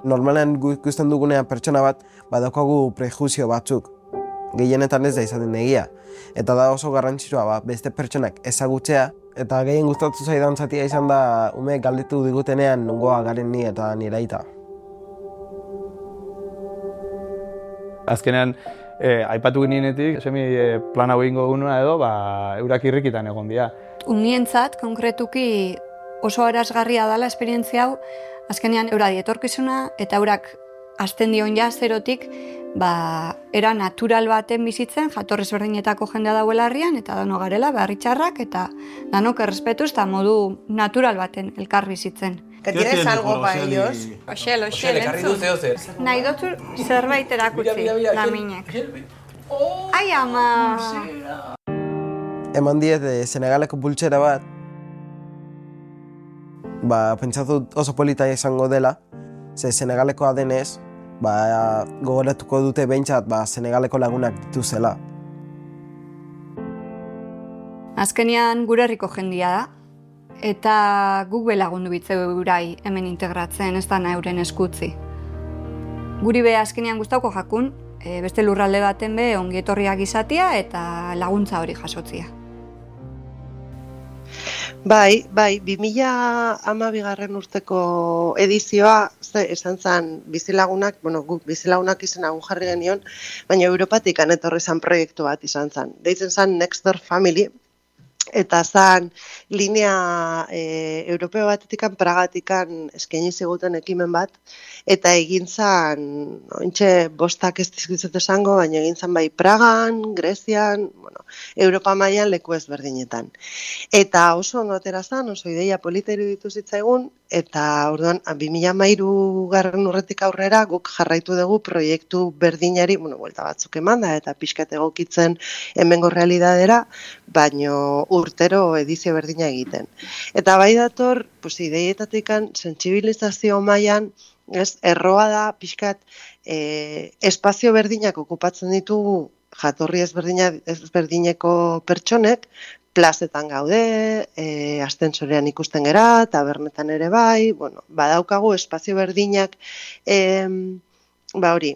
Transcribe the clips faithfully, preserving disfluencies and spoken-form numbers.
Normalean ikusten dugunean pertsona bat badaukagu prejuzio batzuk. Gehienetan ez da izaten egia. Eta da oso garrantzitsua ba, beste pertsonak ezagutzea. Eta gehien gustatu zaidan zatia izan da ume galdetu digutenean nongoa garen ni eta nire aita. Azkenean, eh, aipatu ginenetik, semi eh, plan hau egingo gunua edo, ba, eurak irrikitan egon dira. Unientzat, konkretuki oso arazgarria dela esperientzia hau, azkenean euradi etorkizuna eta eurak hasten dion ja zerotik, ba, era natural baten bizitzen, jatorrez berdinetako jendea dauela herrian, eta dano garela, beharritxarrak, eta danok errespetuz, eta modu natural baten elkar bizitzen. Que tienes algo para ellos. Oxel, oxel, entzun. Nahi dutzu zerbait erakutsi, laminek. Ai, ama! Eman diet e, Senegaleko pultsera bat, ba, pentsatu oso polita izango dela, ze Senegalekoa denez, ba, gogoratuko dute behintzat ba, Senegaleko lagunak dituzela. Azkenean gure herriko jendia da, eta guk belagundu bitzeu eurai hemen integratzen, ez da euren eskutzi. Guri be azkenean gustauko jakun, e, beste lurralde baten be ongietorriak izatea eta laguntza hori jasotzia. Bai, bai, bi mila hamabigarren urteko edizioa, ze, esan zen bizilagunak, bueno, guk bizilagunak izena gu jarri genion, baina Europatik etorri zen proiektu bat izan zen. Deitzen zen Next Door Family, eta zen linea e, europeo batetikan, Pragatikan eskaini ziguten ekimen bat, eta egin zen, ointxe bostak ez dizkitzet esango, baina egin zen bai Pragan, Grezian, bueno, Europa mailan leku ezberdinetan. Eta oso ondo atera zen, oso ideia polita iruditu zitzaigun, eta orduan, bi mila hamairugarren urretik aurrera guk jarraitu dugu proiektu berdinari, bueno, buelta batzuk eman da, eta pixkat egokitzen hemengo realidadera, baino urtero edizio berdina egiten. Eta bai dator, pues, ideietatikan, sentsibilizazio mailan, ez, erroa da, pixkat, e, espazio berdinak okupatzen ditugu jatorri ezberdineko pertsonek, plazetan gaude, e, astensorean ikusten gera, tabernetan ere bai, bueno, badaukagu espazio berdinak, e, ba hori,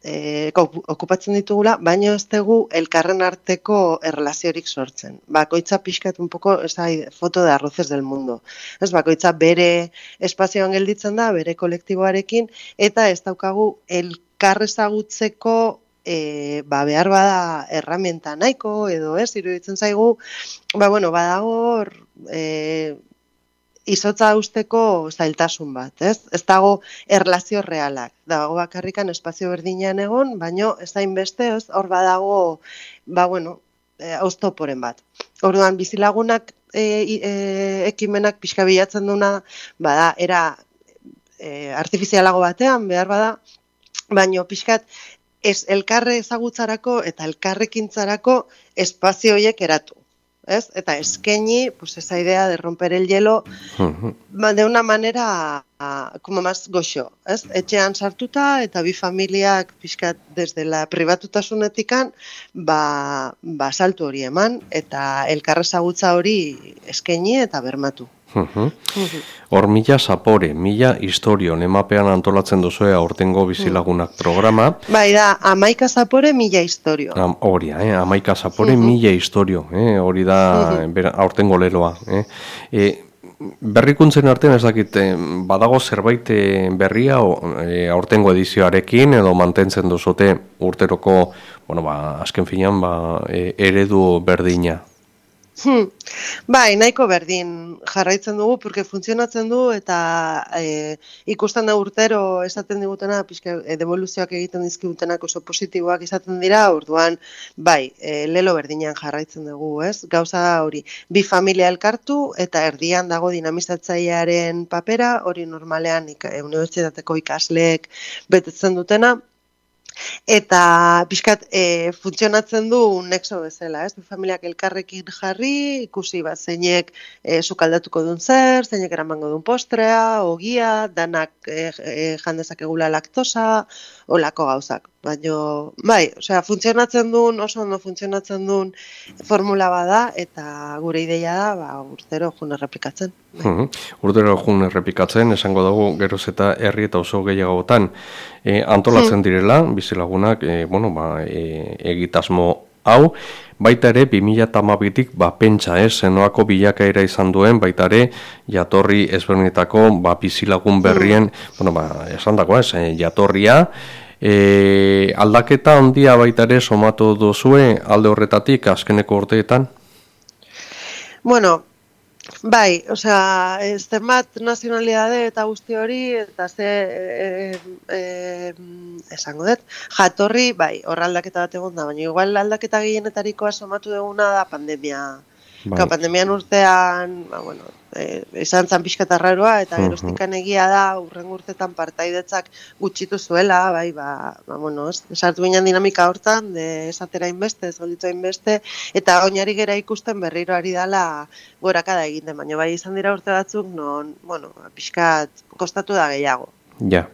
e, okupatzen ditugula, baina ez dugu elkarren arteko erlaziorik sortzen. Bakoitza pixkat un poco, esa foto de arroces del mundo. Ez, bakoitza bere espazioan gelditzen da, bere kolektiboarekin, eta ez daukagu elkar ezagutzeko E, ba, behar bada erramienta nahiko edo ez, iruditzen zaigu, ba, bueno, badago e, izotza usteko zailtasun bat, ez? Ez dago erlazio realak, dago bakarrikan espazio berdinean egon, baino ez hainbeste, ez, hor badago, ba, bueno, e, oztoporen bat. Orduan, bizilagunak e, e, ekimenak pixka bilatzen duna, bada, era e, artifizialago batean, behar bada, baino pixkat, ez elkarre ezagutzarako eta elkarrekintzarako espazio horiek eratu, ez? Eta eskaini, pues esa idea de romper el hielo de una manera como más goxo, ez? Etxean sartuta eta bi familiak pixkat desde la pribatutasunetikan ba, ba saltu hori eman eta elkarre ezagutza hori eskaini eta bermatu. Hor mila zapore, mila historio, nemapean antolatzen duzue aurtengo bizilagunak programa. Bai da, amaika zapore, mila historio. Hori, eh? amaika zapore, mila historio, eh? hori da aurtengo leloa. Eh? E, berrikuntzen artean ez dakit, badago zerbait berria o, e, aurtengo edizioarekin edo mantentzen duzute urteroko, bueno, ba, azken finean, ba, e, eredu berdina. Hmm. Bai, nahiko berdin jarraitzen dugu, porque funtzionatzen du eta e, ikusten da urtero esaten digutena, pixka, e, devoluzioak egiten dizkigutenak oso positiboak izaten dira, orduan, bai, e, lelo berdinean jarraitzen dugu, ez? Gauza da hori, bi familia elkartu eta erdian dago dinamizatzailearen papera, hori normalean ik, e, unibertsitateko ikasleek betetzen dutena, eta pixkat e, funtzionatzen du nexo bezala, ez? Familiak elkarrekin jarri, ikusi bat zeinek e, sukaldatuko duen zer, zeinek eramango duen postrea, ogia, danak e, e, jandezak egula laktosa, olako gauzak. baina, bai, osea, funtzionatzen duen, oso ondo funtzionatzen duen formula bada, eta gure ideia da, ba, urtero jun errepikatzen. Uhum. Urtero jun errepikatzen, esango dugu geroz eta herri eta oso gehiagotan e, antolatzen direla, bizilagunak, e, bueno, ba, e, egitasmo hau, baita ere, bi mila hamabitik ba, pentsa, ez, zenoako bilakaera izan duen, baita ere, jatorri ezberdinetako ba, bizilagun berrien, bueno, ba, esan dako, ez, jatorria, e, aldaketa handia baita ere somatu duzue alde horretatik azkeneko urteetan? Bueno, bai, osea, zenbat nazionalidade eta guzti hori, eta ze, e, e, esango dut, jatorri, bai, hor aldaketa bat egon da, baina igual aldaketa gehienetarikoa somatu duguna da pandemia. Bai. Ka, pandemian urtean, ba, bueno, e, izan zan pixka eta raroa, eta geroztikan egia da, urren urtetan partaidetzak gutxitu zuela, bai, ba, ba bueno, esartu binean dinamika hortan, de esatera inbeste, ez golditu inbeste, eta oinari gera ikusten berriro ari dala gorakada egiten, baina bai izan dira urte batzuk, non, bueno, pixka kostatu da gehiago. Ja.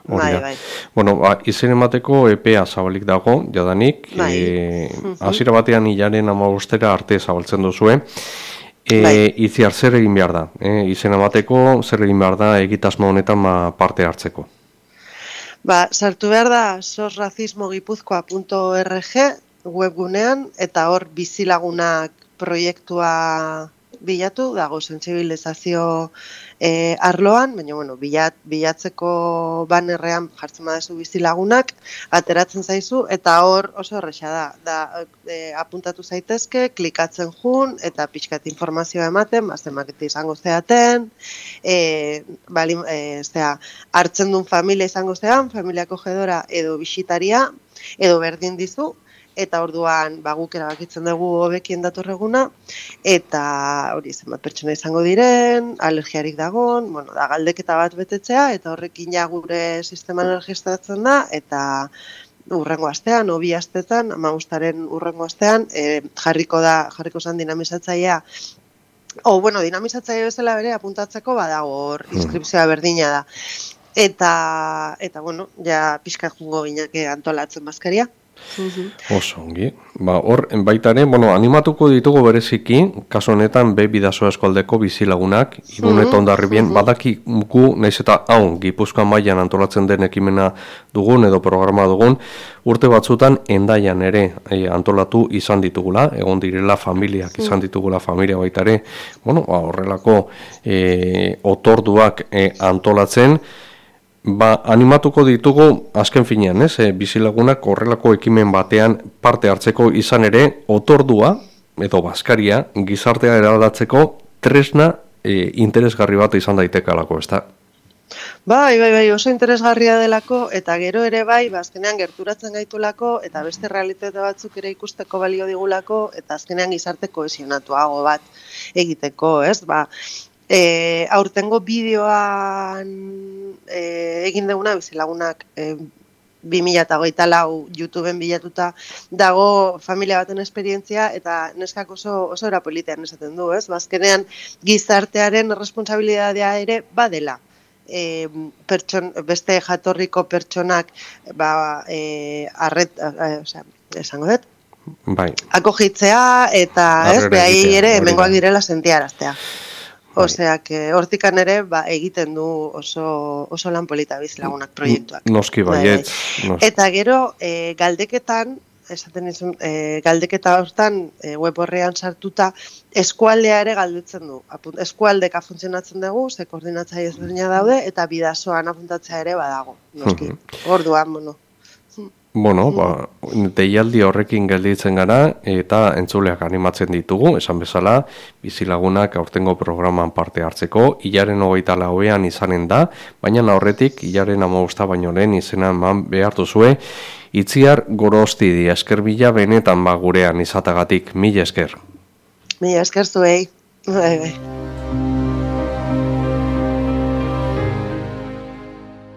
Bai, bai. Bueno, ba, izen emateko epea zabalik dago, jadanik, bai. e, hasiera batean hilaren hamabostera arte zabaltzen duzue, e, bai. Itziar zer egin behar da, e, izen emateko zer egin behar da egitasmo honetan ma parte hartzeko? Ba, sartu behar da sosracismogipuzkoa punto org webgunean, eta hor bizilagunak proiektua bilatu, dago sentsibilizazio e, arloan, baina bueno, bilat, bilatzeko banerrean jartzen badezu bizilagunak, ateratzen zaizu, eta hor oso erresa da, da e, apuntatu zaitezke, klikatzen jun, eta pixkat informazioa ematen, bazemakete izango zeaten, e, bali, e, zera, hartzen duen familia izango zean, familiako jedora edo bisitaria, edo berdin dizu, eta orduan ba, guk erabakitzen dugu hobekien datorreguna, eta hori zenbat pertsona izango diren, alergiarik dagon, bueno, da galdeketa bat betetzea, eta horrekin ja gure sisteman registratzen da, eta urrengo astean, obi astetan, hamabostaren urrengo astean, e, jarriko da, jarriko zen dinamizatzailea, o, bueno, dinamizatzaile bezala bere apuntatzeko badago hor, inskripzioa berdina da. Eta, eta bueno, ja pixka jungo gineke antolatzen bazkaria. Oso, ongi. Ba, hor, baita ere, bueno, animatuko ditugu bereziki, kaso honetan, be bidasoa eskualdeko bizilagunak, Irun eta Hondarribian, badaki gu, naiz eta hau, Gipuzkoan mailan antolatzen den ekimena dugun, edo programa dugun, urte batzutan Hendaian ere e, antolatu izan ditugula, egon direla familiak izan ditugula familia baita ere, bueno, ba, horrelako e, otorduak e, antolatzen, ba, animatuko ditugu azken finean, ez? E, bizilagunak horrelako ekimen batean parte hartzeko izan ere, otordua, edo bazkaria, gizartea eraldatzeko tresna e, interesgarri bat izan daitekalako, ez da? Bai, bai, bai, oso interesgarria delako, eta gero ere bai, azkenean gerturatzen gaitulako, eta beste realitate batzuk ere ikusteko balio digulako, eta azkenean gizarte kohesionatuago bat egiteko, ez? Ba, E, aurtengo bideoan e, egin duguna bizilagunak e, bi mila hogeita lau YouTubeen bilatuta dago familia baten esperientzia, eta neskak oso, oso erapolitean esaten du, ez? Bazkenean gizartearen responsabilidadea ere badela. E, pertson, beste jatorriko pertsonak ba, e, arret, e, osea, esango dut? Bai. Akogitzea eta ez, behai ere hemengoak direla sentiaraztea. Osea, que hortikan ere ba, egiten du oso, oso lan polita bizilagunak proiektuak. Noski baiet. Nos... Eta gero, e, galdeketan, esaten izun, e, galdeketa hortan e, web horrean sartuta, eskualdea ere galdutzen du. Apunt, eskualdeka funtzionatzen dugu, ze koordinatzaile ezberdina daude, eta bidasoan apuntatzea ere badago. Noski, orduan, bueno. Bueno, ba, deialdi horrekin gelditzen gara eta entzuleak animatzen ditugu, esan bezala, bizilagunak aurtengo programan parte hartzeko, hilaren hogeita lauean izanen da, baina horretik hilaren hamabosta baino lehen izena eman behar duzue, Itziar Gorostidi, esker bila benetan ba gurean izatagatik, mila esker. Mila esker zuei, bai, bai.